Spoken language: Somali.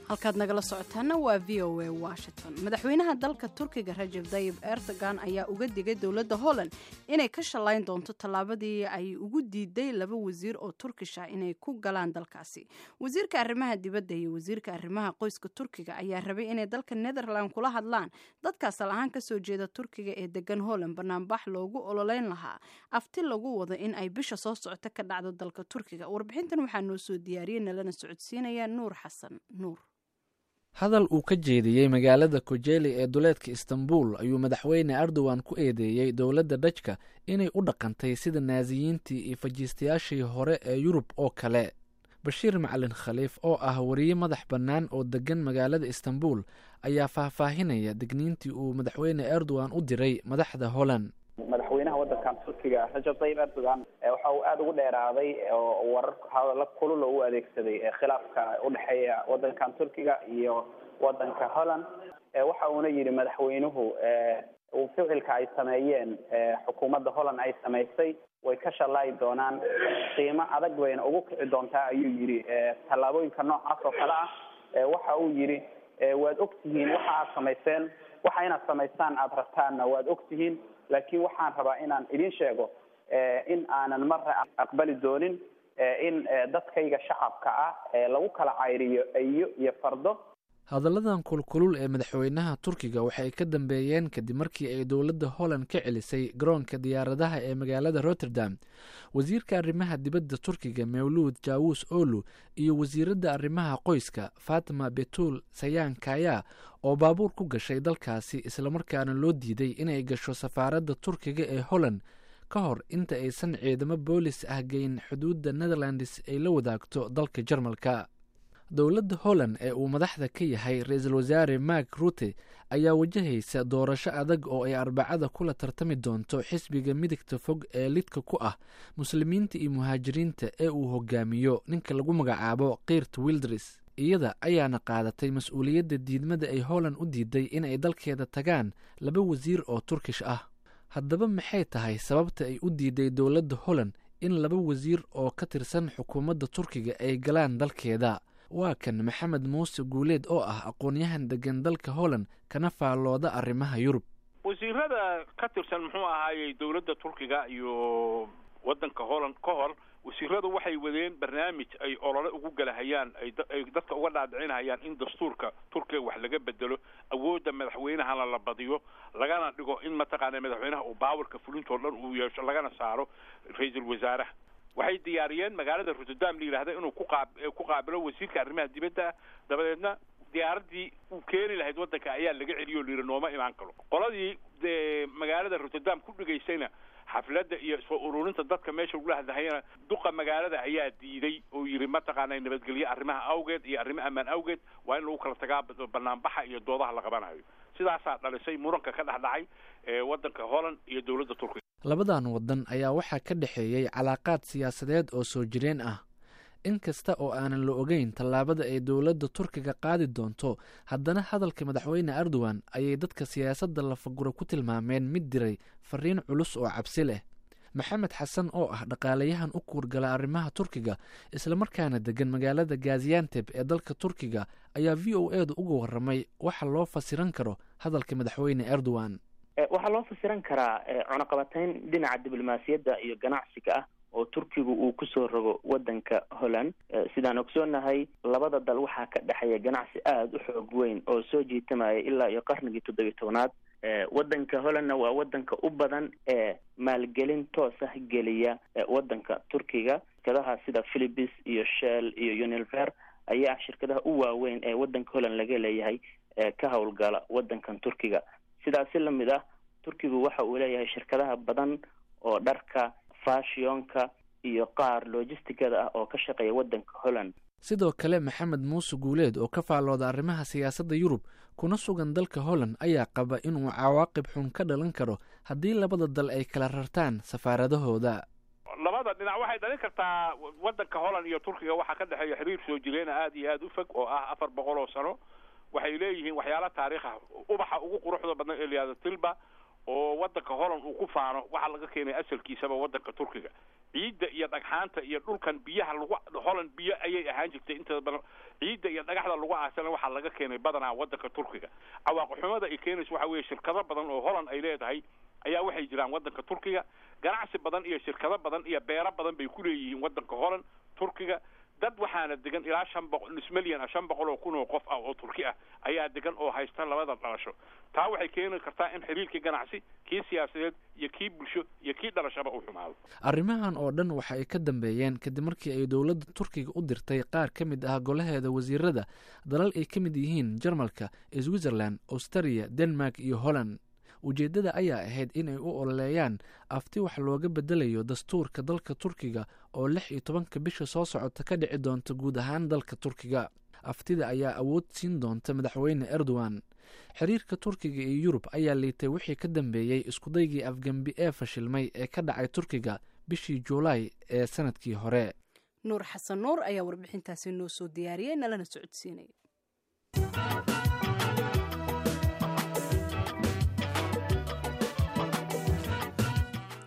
Halkaad nagala socotaana waa VOA Washington. Madaxweynaha dalka Turkiga Rajab Dayib Erdogan ayaa uga digay dowladda Holland inay ka shallayn doonto tallaabadii ay ugu diiday laba wasiir oo Turkish ah inay ku galaan dalkaasi. Wasiirka arrimaha dibadda iyo wasiirka arrimaha qoyska Turkiga ayaa rabay inay dalka Netherland kula hadlaan dadka asal ahaan kasoo jeeda Turkiga ee degan Holland banaanbax loogu ololeyn lahaa afti lagu wado in ay bisha soo socota ka dhacdo dalka Turkiga. Warbixintan waxaa noo soo diyaariyey nalana socodsiinaya Nuur Xasan Nuur. Hadal uu ka jeediyey magaalada Kojeli ee duleedka Istanbul ayuu Madaxweyne Erdogan ku eedeeyey dowladda Dhajka inay u dhaqantay sida Naasiyiintii iyo fajiistayaashii hore ee Yurub oo kale. Bashiir Macalin Khaliif oo ah wariye madax bannaan oo deggan magaalada Istanbul ayaa faahfaahinaya digniintii uu Madaxweyne Erdogan u diray madaxda Holland. Madaxweynaha waddankan Turkiga Rajab Tayyib Erdogan waxa uu aada ugu dheeraaday oo warar hadallo kulul oo u adeegsaday khilaafka udhexeeya waddankan Turkiga iyo waddanka Holland. Waxa uuna yidhi madaxweynuhu ficilka ay sameeyeen xukuumadda Holland ay samaysay way ka shalaayi doonaan, qiimo adag bayna ugu kici doontaa, ayuu yidhi, tallaabooyinka noocaas oo kale ah. Waxa uu yidhi, waad ogtihiin waxa aad samayseen, waxa inaad samaystaan aada rabtaanna waad ogtihiin, laakiin waxaan rabaa inaan idin sheego in aanan marna aqbali doonin in dadkayga shacabka ah lagu kala cayriyo eyo iyo fardo. Hadalladan kulkulul ee madaxweynaha Turkiga waxay ka dambeeyeen kadib markii ay dowladda Holland ka celisay garoonka diyaaradaha ee magaalada Rotterdam wasiirka arrimaha dibadda Turkiga Mawluud Jaawus Olu iyo wasiiradda arrimaha qoyska Fatima Betul Sayan Kaya oo baabuur ku gashay dalkaasi, islamarkaana loo diiday inay gasho safaaradda Turkiga ee Holland ka hor inta aysan ciidamo boolis ah geyn xuduudda Netherlands ay la wadaagto dalka Jarmalka. Dowladda Holland ee uu madaxda ka yahay Ra-iisul Wasaare Mark Rute ayaa wajahaysa doorasho adag oo ay Arbacada kula tartami doonto xisbiga midigta fog ee lidka ku ah Muslimiinta iyo muhaajiriinta ee uu hogaamiyo ninka lagu magacaabo Kirt Wildris. Iyada ayaana qaadatay mas-uuliyadda diidmada ay Holland u diiday inay dalkeeda tagaan laba wasiir oo Turkish ah. Haddaba maxay tahay sababta ay u diiday dowladda Holland in laba wasiir oo ka tirsan xukuumadda Turkiga ay galaan dalkeeda? Waa kan Maxamed Muuse Guuleed oo ah aqoon-yahan degan dalka Holland kana faallooda arrimaha Yurub. Wasiirada ka tirsan, muxuu ahaayey, dowladda Turkiga iyo waddanka Holland, ka hor wasiiradu waxay wadeen barnaamij ay olole ugu galahayaan, ay dadka uga dhaadhicinayaan in dastuurka Turkiga wax laga bedelo, awoodda madaxweynahana la badiyo, lagana dhigo in mataqaana madaxweynaha uu baawarka fulintoo dhan uu yeesho, lagana saaro ra-iisul wasaaraha. Waxay diyaariyeen magaalada Rotterdam la yidhahda inuu ku qaabilo wasiirka arrimaha dibadda. Dabadeedna diyaaraddii uu keeni lahayd waddanka ayaa laga celiyo o la yidhi nooma imaan karo. Qoladii magaalada Rotterdam ku dhigaysayna xafladda iyo soo ururinta dadka meesha lagula hadlahayana, duqa magaalada ayaa diiday oo yidhi mataqaana nabadgelyo arrimaha awgeed iyo arrimo ammaan awgeed waa in lagu kala tagaa banaanbaxa iyo doodaha la qabanayo. Sidaasaa dhalisay muranka ka dhex dhacay waddanka Holland iyo dowladda Turkiga. Labadan waddan ayaa waxaa ka dhexeeyey calaaqaad siyaasadeed oo soo jireen ah. In kasta oo aanan la ogeyn tallaabada ay dowladda Turkiga qaadi doonto, haddana hadalka Madaxweyne Erdogan ayay dadka siyaasadda lafagura ku tilmaameen mid diray fariin culus oo cabsi leh. Maxamed Xasan oo ah dhaqaalayahan u kuurgala arrimaha Turkiga islamarkaana degan magaalada Gazianteb ee dalka Turkiga ayaa VOA da uga warramay waxa loo fasiran karo hadalka Madaxweyne Erdogan. Waxaa loo fasiran karaa cunaqabatayn dhinaca diblomaasiyadda iyo ganacsiga ah oo Turkigu uu kusoo rogo waddanka Holland. Sidaan ogsoonahay, labada dal waxaa ka dhexeeya ganacsi aada u xoog weyn oo soo jiitamaya ilaa iyo qarnigii 17aad. Waddanka Hollandna waa waddanka u badan ee maalgelin toos ah geliya waddanka Turkiga. Shirkadaha sida Philips iyo Shell iyo Unilever ayaa ah shirkadaha u waaweyn ee waddanka Holland laga leeyahay ee ka howlgala waddankan Turkiga. Sidaasi lamid ah, Turkigu waxa uu leeyahay shirkadaha badan oo dharka fashionka iyo qaar logisticada ah oo ka shaqeeya waddanka Holland. Sidoo kale Maxamed Muuse Guuleed oo ka faallooda arrimaha siyaasadda Yurub kuna sugan dalka Holland ayaa qaba inuu cawaaqib xun ka dhalan karo haddii labada dal ay kala rartaan safaaradahooda. Labada dhinac waxay dhalin kartaa, waddanka Holland iyo Turkiga waxaa ka dhexeeya xiriir soo jireena aada iyo aada u fog oo ah 400 oo sano. Waxay leeyihiin waxyaala taariikh ah, ubaxa ugu quruxda badan ee la yihahdo tulip. Oo waddanka Holland uu ku faano waxaa laga keenay asalkiisaba waddanka Turkiga. Ciidda iyo dhagxaanta iyo dhulkan biyaha lagu Holland biyo ayay ahaan jirtay inta badan. Ciidda iyo dhagaxda lagu aasana waxaa laga keenay badanaa waddanka Turkiga. Cawaaqixumada ay keenayso waxa weeye, shirkado badan oo Holland ay leedahay ayaa waxay jiraan waddanka Turkiga. Ganacsi badan iyo shirkado badan iyo beero badan bay ku leeyihiin waddanka Holland Turkiga. Dad waxaana degan ilaa 500, nus milyan ah, 500,000 oo qof ah oo Turki ah ayaa degan oo haysta labada dhalasho. Taa waxay keeni kartaa in xiriirkii ganacsi, kii siyaasadeed iyo kii bulsho iyo kii dhalashaba uu xumaado. Arrimahan oo dhan waxa ay ka dambeeyeen kadib markii ay dowladda Turkiga u dirtay qaar ka mid ah golaheeda wasiirada dalal ay ka mid yihiin Jarmalka, Switzerland, Australia, Denmark iyo Holland. Ujeeddada ayaa ahayd inay u ololeeyaan afti wax looga bedelayo dastuurka dalka Turkiga oo 16-ka bisha soo socota ka dhici doonta guud ahaan dalka Turkiga. Aftida ayaa awood siin doonta Madaxweyne Erdogan. Xiriirka Turkiga iyo Yurub ayaa liitay wixii ka dambeeyey iskudaygii afgembi ee fashilmay ee ka dhacay Turkiga bishii Juulaay ee sanadkii hore. Nuur Xasan Nuur ayaa warbixintaasi noo soo diyaariyey, nalana socodsiinaya.